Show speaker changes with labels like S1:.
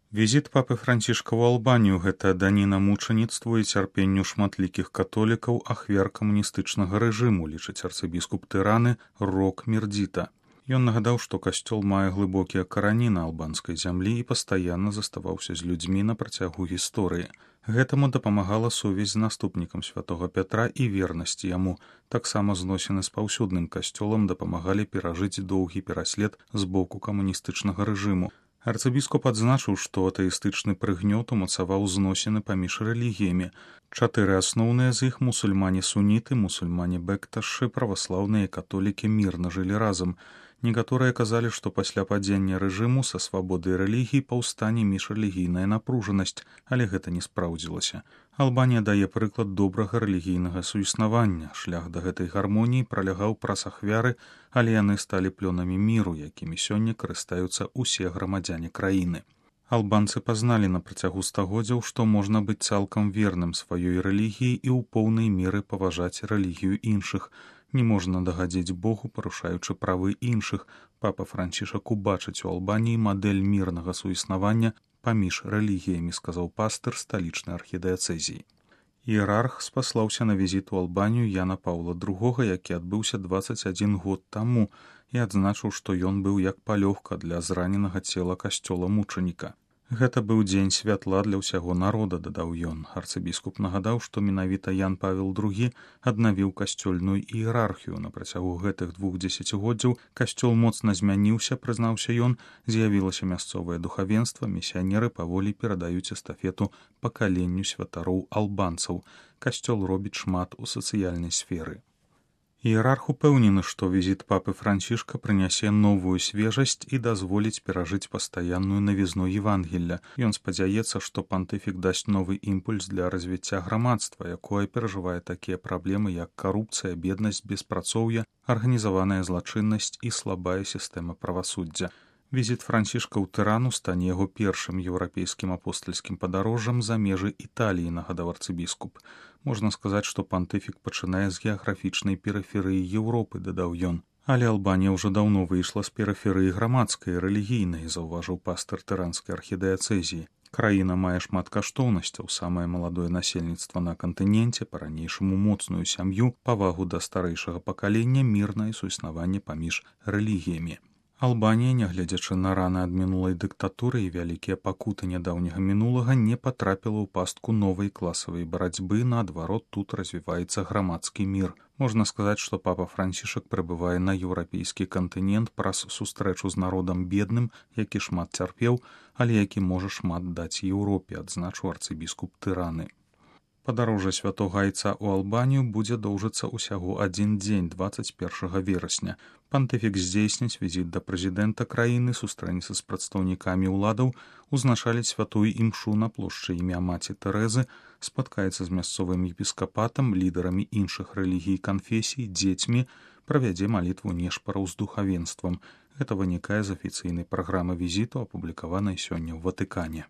S1: Візіт папы Францішка ў Албанію – гэта даніна мучаніцтву і цярпенню шматлікіх католікаў ахвяр камуністычнага рэжыму, лічыць арцыбіскуп Тыраны Рок Мірдзіта. Ён нагадаў, што касцёл мае глыбокія карані на албанскай зямлі і пастаянна заставаўся з людзьмі на працягу гісторыі. Гэтаму дапамагала сувязь з наступнікам святога Пятра і вернасць яму. Таксама зносіны з паўсюдным касцёлам дапамагалі перажыць доўгі пераслед з боку камуністычнага рэжыму. Арцыбіскуп адзначыў, што атэістычны прыгнёт умацаваў зносіны паміж рэлігіямі. 4 асноўныя з іх – мусульмане-суніты, мусульмане-бэкташы, праваслаўныя і католікі мірна жылі разам. Некаторыя казалі, што пасля падзення рэжыму са свабодай рэлігіі паўстане міжрэлігійная напружанасць, але гэта не спраўдзілася. Албанія дае прыклад добрага рэлігійнага суіснавання. Шлях да гэтай гармоніі пралягаў праз ахвяры, але яны сталі плёнамі міру, якімі сёння карыстаюцца ўсе грамадзяне краіны. Албанцы пазналі на працягу стагоддзяў, што можна быць цалкам верным сваёй рэлігіі і ў поўнай меры паважаць рэлігію іншых. Не можна дагадзіць Богу, парушаючы правы іншых. Папа Францішак убачыць у Албаніі мадэль мірнага суіснавання паміж рэлігіямі, сказаў пастыр сталічнай архідыяцэзіі. Іерарх спаслаўся на візіт у Албанію Яна Паўла II, які адбыўся 21 год таму, і адзначыў, што ён быў як палёгка для зраненага цела касцёла мучаніка. Гэта быў дзень святла для ўсяго народа, дадаў ён. Арцыбіскуп нагадаў, што менавіта Ян Павел II аднавіў касцёльную іерархію. На працягу гэтых 2 дзесяцігоддзяў касцёл моцна змяніўся, прызнаўся ён, з'явілася мясцовае духавенства, місіянеры паволі перадаюць эстафету пакаленню святароў албанцаў. Касцёл робіць шмат у сацыяльнай сферы. Іерарх упэўнены, што візіт папы Францішка прынясе новую свежасць і дазволіць перажыць пастаянную навізну Евангелля. Ён спадзяецца, што пантыфік дасць новы імпульс для развіцця грамадства, якое перажывае такія праблемы, як карупцыя, беднасць, беспрацоўе, арганізаваная злачыннасць і слабая сістэма правасуддзя. Візіт Францішка ў Тырану стане яго першым еўрапейскім апостальскім падарожжам за межы Італіі, нагадаў арцыбіскуп. Можна сказаць, што пантыфік пачынае з геаграфічнай перыферыі Еўропы, дадаў ён. Але Албанія ўжо даўно выйшла з перыферыі грамадскай і рэлігійнай, заўважыў пастыр тыранскай архідыяцэзіі. Краіна мае шмат каштоўнасцяў, самае маладое насельніцтва на кантыненце, па-ранейшаму моцную сям'ю, павагу да старэйшага пакалення, мірнае суіснаванне паміж рэлігіямі. Албанія, нягледзячы на раны ад мінулай дыктатуры і вялікія пакуты нядаўняга мінулага, не патрапіла ў пастку новай класавай барацьбы, наадварот, тут развіваецца грамадскі мір. Можна сказаць, што папа Францішак прыбывае на еўрапейскі кантынент праз сустрэчу з народам бедным, які шмат цярпеў, але які можа шмат даць Еўропе, адзначыў арцыбіскуп Тыраны. Падарожжа святога айца ў Албанію будзе доўжыцца ўсяго 1 дзень, 21 верасня. Пантыфік здзейсніць візіт да прэзідэнта краіны, сустрэнецца з прадстаўнікамі ўладаў, узначаліць святую імшу на плошчы імя маці Тэрэзы, спаткаецца з мясцовым епіскапатам, лідарамі іншых рэлігій і канфесій, дзецьмі, правядзе малітву нешпараў з духавенствам. Гэта вынікае з афіцыйнай праграмы візіту, апублікаванай сёння ў Ватыкане.